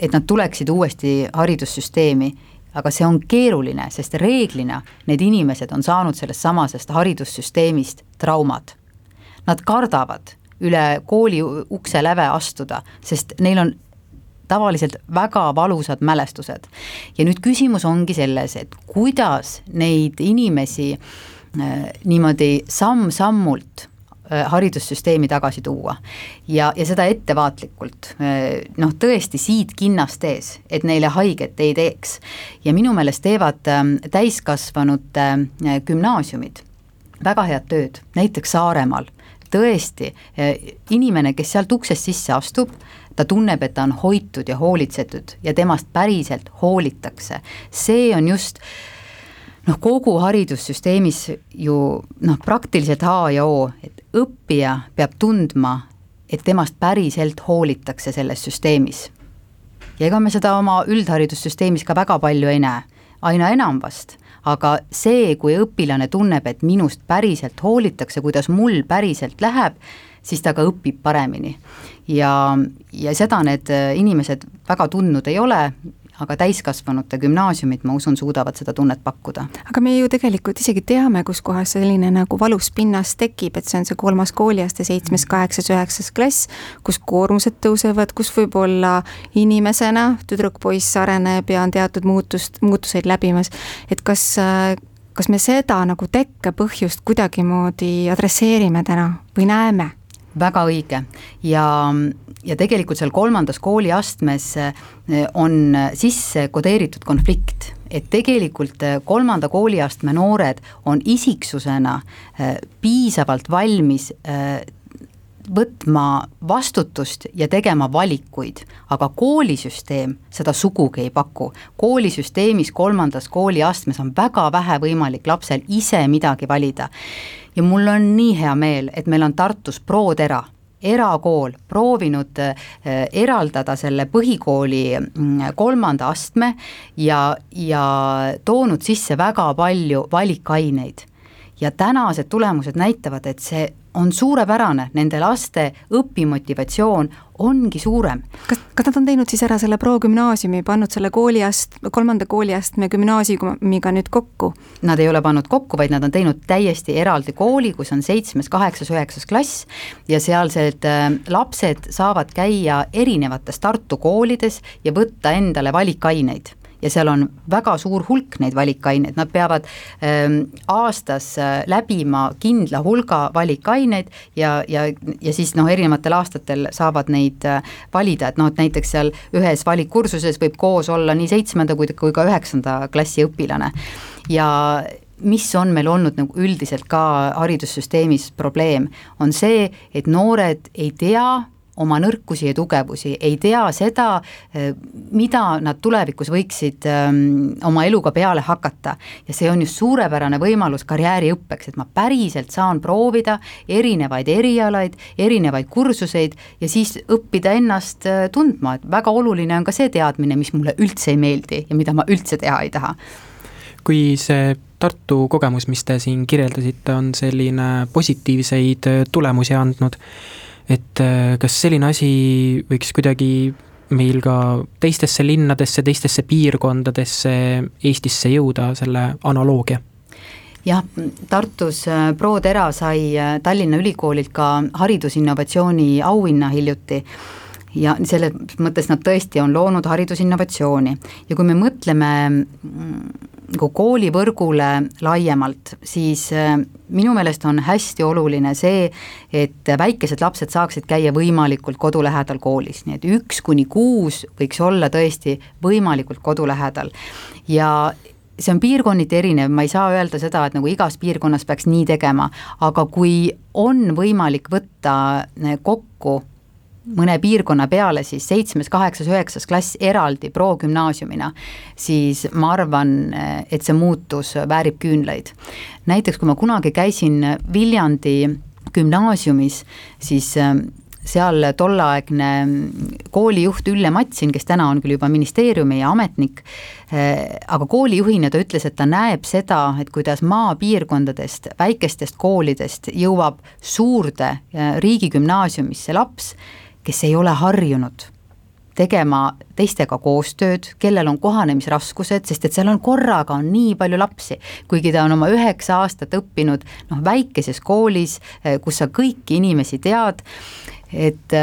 et nad tuleksid uuesti haridussüsteemi, aga see on keeruline, sest reeglina need inimesed on saanud sellest samasest haridussüsteemist traumad. Nad kardavad üle kooli ukse läve astuda, sest neil on tavaliselt väga valusad mälestused. Ja nüüd küsimus ongi selles, et kuidas neid inimesi niimoodi samm-sammult haridussüsteemi tagasi tuua ja seda ettevaatlikult, tõesti siit kinnast ees, et neile haiget ei teeks. Ja minu meelest teevad täiskasvanute gümnaasiumid väga head tööd, näiteks Saaremaal. Tõesti, inimene, kes sealt uksest sisse astub, ta tunneb, et ta on hoitud ja hoolitsetud ja temast päriselt hoolitakse. See on just kogu haridussüsteemis ju praktiliselt H ja O, et õppija peab tundma, et temast päriselt hoolitakse selles süsteemis. Ja ega me seda oma üldharidussüsteemis ka väga palju ei näe, aina enam vast, aga see, kui õpilane tunneb, et minust päriselt hoolitakse, kuidas mul päriselt läheb, siis ta ka õpib paremini. Ja seda need inimesed väga tundnud ei ole, aga täiskasvanute gümnaasiumid, ma usun, suudavad seda tunnet pakkuda. Aga me ju tegelikult isegi teame, kus kohas selline valus pinnas tekib, et see on see 3. kooliaste 7., 8., 9. klass, kus koormused tõusevad, kus võib-olla inimesena tüdruk-poiss areneb ja on teatud muutuseid läbimas, et kas me seda tekkepõhjust kuidagimoodi adresseerime täna või näeme? väga õige ja tegelikult seal 3. kooliastmes on sisse kodeeritud konflikt, et tegelikult 3. kooliastme noored on isiksusena piisavalt valmis võtma vastutust ja tegema valikuid, aga koolisüsteem seda sugugi ei paku. Koolisüsteemis 3. kooliastmes on väga vähe võimalik lapsel ise midagi valida. Ja mul on nii hea meel, et meil on Tartus ProTera, erakool, proovinud eraldada selle põhikooli 3. astme ja toonud sisse väga palju valikaineid. Ja tänased tulemused näitavad, et see on suurepärane, nende laste õpimotivatsioon ongi suurem. Kas nad on teinud siis ära selle progümnaasiumi, pannud selle 3. kooliastme gümnaasiumiga nüüd kokku? Nad ei ole pannud kokku, vaid nad on teinud täiesti eraldi kooli, kus on 7., 8., 9. klass ja sealsed lapsed saavad käia erinevates Tartu koolides ja võtta endale valikaineid. Ja seal on väga suur hulk neid valikaineid, nad peavad aastas läbima kindla hulga valikaineid ja siis erinevatel aastatel saavad neid valida, et näiteks seal ühes valikkursuses võib koos olla nii 7. kui ka 9. klassi õpilane ja mis on meil olnud nagu üldiselt ka haridussüsteemis probleem, on see, et noored ei tea oma nõrkusi ja tugevusi, ei tea seda, mida nad tulevikus võiksid oma eluga peale hakata. Ja see on just suurepärane võimalus karjääriõppeks, et ma päriselt saan proovida erinevaid erialaid, erinevaid kursuseid ja siis õppida ennast tundma, et väga oluline on ka see teadmine, mis mulle üldse ei meeldi ja mida ma üldse teha ei taha. Kui see Tartu kogemus, mis te siin kirjeldasite, on selline positiivseid tulemusi andnud, et kas selline asi võiks kuidagi meil ka teistesse linnadesse, teistesse piirkondadesse Eestisse jõuda, selle analoogia? Jah, Tartus ProTera sai Tallinna Ülikoolilt ka haridusinnovatsiooni auhinna hiljuti ja selles mõttes nad tõesti on loonud haridusinnovatsiooni ja kui me mõtleme koolivõrgule laiemalt, siis minu meelest on hästi oluline see, et väikesed lapsed saaksid käia võimalikult kodulähedal koolis, nii et 1–6 võiks olla tõesti võimalikult kodulähedal ja see on piirkonniti erinev, ma ei saa öelda seda, et nagu igas piirkonnas peaks nii tegema, aga kui on võimalik võtta kokku mõne piirkonna peale siis 7., 8., 9. klass eraldi progümnaasiumina, siis ma arvan, et see muutus väärib küünlaid. Näiteks kui ma kunagi käisin Viljandi gümnaasiumis, siis seal tolleaegne koolijuht Ülle Matsin, kes täna on küll juba ministeeriumi ja ametnik, aga koolijuhina ta ütles, et ta näeb seda, et kuidas maapiirkondadest, väikestest koolidest jõuab suurde riigigümnaasiumisse laps, kes ei ole harjunud tegema teistega koostööd, kellel on kohanemisraskused, sest et seal on korraga on nii palju lapsi, kuigi ta on oma 9 aastat õppinud väikeses koolis, kus sa kõiki inimesi tead, et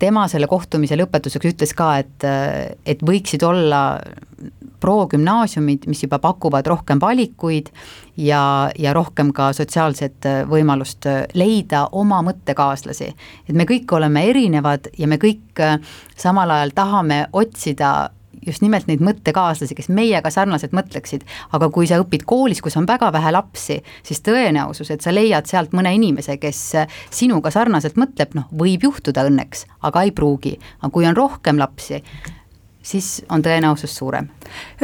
tema selle kohtumise lõpetuseks ütles ka, et võiksid olla progümnaasiumid, mis juba pakuvad rohkem valikuid ja rohkem ka sotsiaalset võimalust leida oma mõttekaaslasi. Et me kõik oleme erinevad ja me kõik samal ajal tahame otsida just nimelt neid mõttekaaslasi, kes meiega sarnaselt mõtleksid, aga kui sa õpid koolis, kus on väga vähe lapsi, siis tõenäosus, et sa leiad sealt mõne inimese, kes sinuga sarnaselt mõtleb, võib juhtuda õnneks, aga ei pruugi. Aga kui on rohkem lapsi, siis on tõenäosus suurem.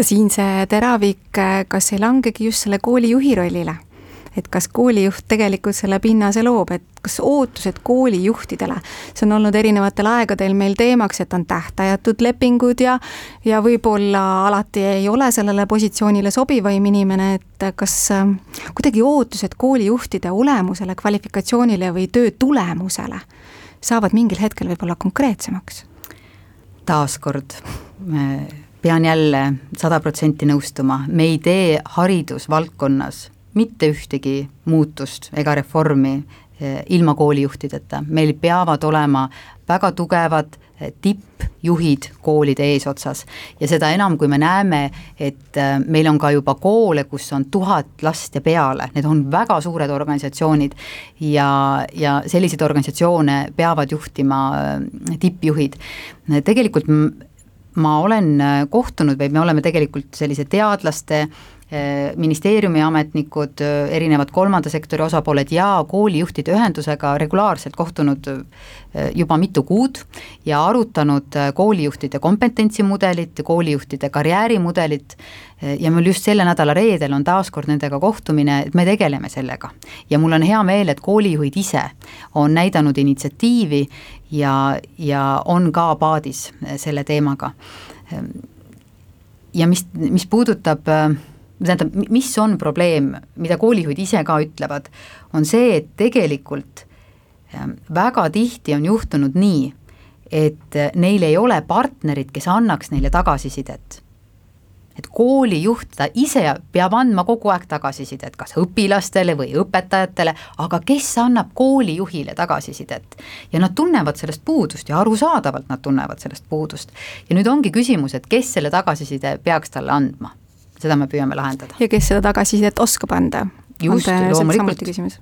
Siin see teravik, kas ei langegi just selle koolijuhi rollile? Et kas koolijuht tegelikult selle pinnase loob, et kas ootused koolijuhtidele, see on olnud erinevatel aegadel meil teemaks, et on tähtajatud lepingud ja võib-olla alati ei ole sellele positsioonile sobivaim inimene, et kas kuidagi ootused koolijuhtide olemusele, kvalifikatsioonile või töö tulemusele saavad mingil hetkel võib-olla konkreetsemaks? Taaskord pean jälle 100% nõustuma, me ei tee haridusvaldkonnas mitte ühtegi muutust ega reformi ilma koolijuhtideta, meil peavad olema väga tugevad tippjuhid koolide eesotsas ja seda enam, kui me näeme, et meil on ka juba koole, kus on 1000 last ja peale, need on väga suured organisatsioonid ja selliseid organisatsioone peavad juhtima tippjuhid. Tegelikult ma olen kohtunud või me oleme tegelikult sellise teadlaste, ministeeriumi ametnikud, erinevad kolmanda sektori osapooled ja koolijuhtide ühendusega regulaarselt kohtunud juba mitu kuud ja arutanud koolijuhtide kompetentsimudelit, koolijuhtide karjäärimudelit ja mul just selle nädala reedel on taaskord nendega kohtumine, et me tegeleme sellega. Ja mul on hea meel, et koolijuhid ise on näidanud initsiatiivi ja on ka paadis selle teemaga. Ja mis puudutab tähendab, mis on probleem, mida koolijuhid ise ka ütlevad, on see, et tegelikult väga tihti on juhtunud nii, et neil ei ole partnerid, kes annaks neile tagasisidet. Et koolijuht ta ise peab andma kogu aeg tagasisidet, kas õpilastele või õpetajatele, aga kes annab koolijuhile tagasisidet? Ja nad tunnevad sellest puudust ja arusaadavalt nad tunnevad sellest puudust. Ja nüüd ongi küsimus, et kes selle tagasiside peaks talle andma? Seda me püüame lahendada. Ja kes seda tagasisidet oskab anda? Just, loomulikult.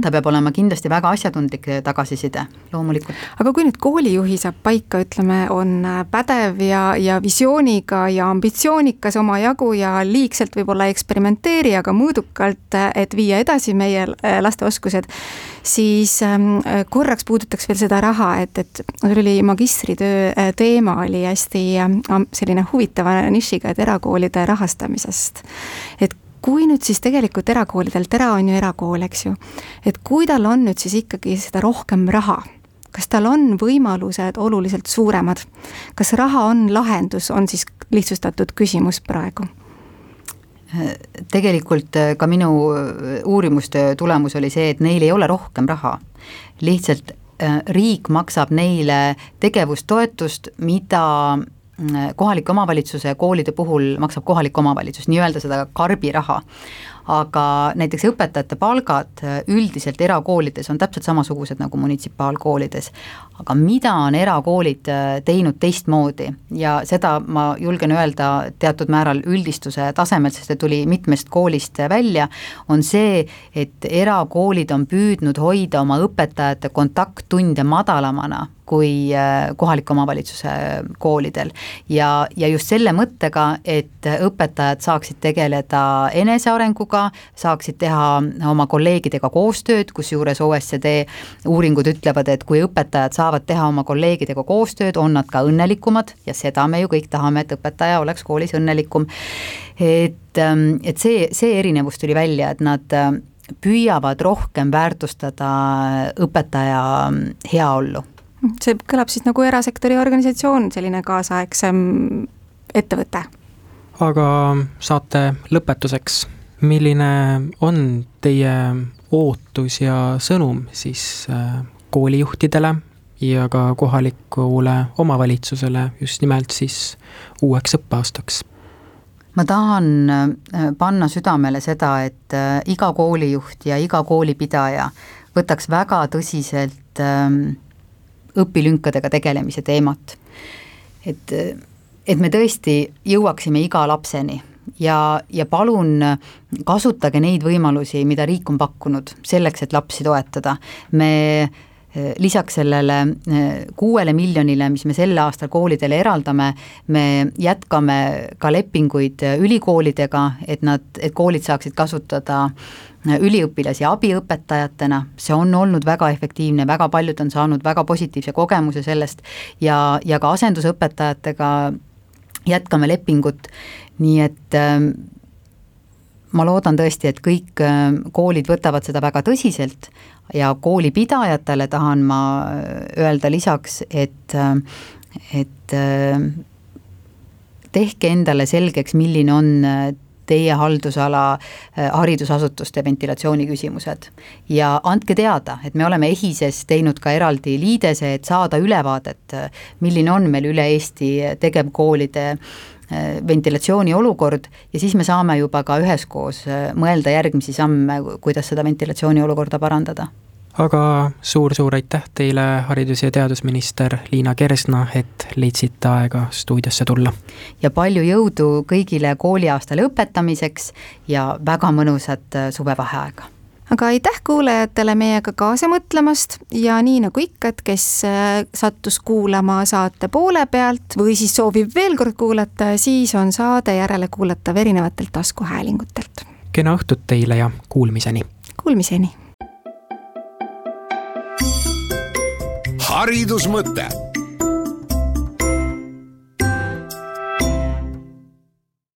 Ta peab olema kindlasti väga asjatundlik tagasiside, loomulikult. Aga kui nüüd koolijuhi saab paika, ütleme, on pädev ja visiooniga ja ambitsioonikas oma jagu ja liigselt võib-olla eksperimenteeri, aga mõõdukalt, et viia edasi meie laste oskused, siis korraks puudutaks veel seda raha, et oli magistritöö teema oli hästi selline huvitava nišiga, et erakoolide rahastamisest. Et kui nüüd siis tegelikult erakoolidel, Tera on ju erakool, eks ju, et kui tal on nüüd siis ikkagi seda rohkem raha, kas tal on võimalused oluliselt suuremad, kas raha on lahendus, on siis lihtsustatud küsimus praegu? Tegelikult ka minu uurimustöö tulemus oli see, et neil ei ole rohkem raha, lihtsalt riik maksab neile tegevustoetust, mida kohaliku omavalitsuse koolide puhul maksab kohalik omavalitsus, nii-öelda seda karbiraha. Aga näiteks õpetajate palgad üldiselt erakoolides on täpselt samasugused nagu munitsipaalkoolides. Aga mida on erakoolid teinud teistmoodi ja seda ma julgen öelda teatud määral üldistuse tasemel, sest see tuli mitmest koolist välja, on see, et erakoolid on püüdnud hoida oma õpetajate kontakttunde madalamana kui kohaliku omavalitsuse koolidel. Ja just selle mõttega, et õpetajad saaksid tegeleda enesearenguga, saaksid teha oma kolleegidega koostööd, kus juures OECD uuringud ütlevad, et kui õpetajad saavad teha oma kolleegidega koostööd, on nad ka õnnelikumad ja seda me ju kõik tahame, et õpetaja oleks koolis õnnelikum. Et see erinevus tuli välja, et nad püüavad rohkem väärtustada õpetaja heaollu. See kõlab siis nagu erasektori organisatsioon, selline kaasaegsem ettevõte. Aga saate lõpetuseks, milline on teie ootus ja sõnum siis koolijuhtidele ja ka kohalikule omavalitsusele just nimelt siis uueks õppeaastaks? Ma tahan panna südamele seda, et iga koolijuht ja iga koolipidaja võtaks väga tõsiselt õpilünkadega tegelemise teemat. Et me tõesti jõuaksime iga lapseni ja palun kasutage neid võimalusi, mida riik on pakkunud selleks, et lapsi toetada. Me lisaks sellele 6 miljonile, mis me selle aastal koolidele eraldame, me jätkame ka lepinguid ülikoolidega, et koolid saaksid kasutada üliõpilasi abiõpetajatena, see on olnud väga efektiivne, väga paljud on saanud väga positiivse kogemuse sellest ja ka asendusõpetajatega jätkame lepingut, nii et ma loodan tõesti, et kõik koolid võtavad seda väga tõsiselt ja koolipidajatele tahan ma öelda lisaks, et tehke endale selgeks, milline on teie haldusala haridusasutuste ventilatsiooni küsimused ja andke teada, et me oleme EHIS-es teinud ka eraldi liidese, et saada ülevaadet, milline on meil üle Eesti tegevkoolide ventilatsiooni olukord ja siis me saame juba ka üheskoos mõelda järgmisi samme, kuidas seda ventilatsiooni olukorda parandada. aga suur-suur aitäh teile, haridus- ja teadusminister Liina Kersna, et leidsite aega stuudiosse tulla. Ja palju jõudu kõigile kooliaasta lõpetamiseks ja väga mõnusat suvevaheaega. Aga aitäh kuulajatele meiega kaasa mõtlemast ja nii nagu ikka, et kes sattus kuulama saate poole pealt või siis soovib veel kord kuulata, siis on saade järele kuulatav erinevatelt taskuhäälingutelt. Kena õhtut teile ja kuulmiseni! Kuulmiseni! haridusmõte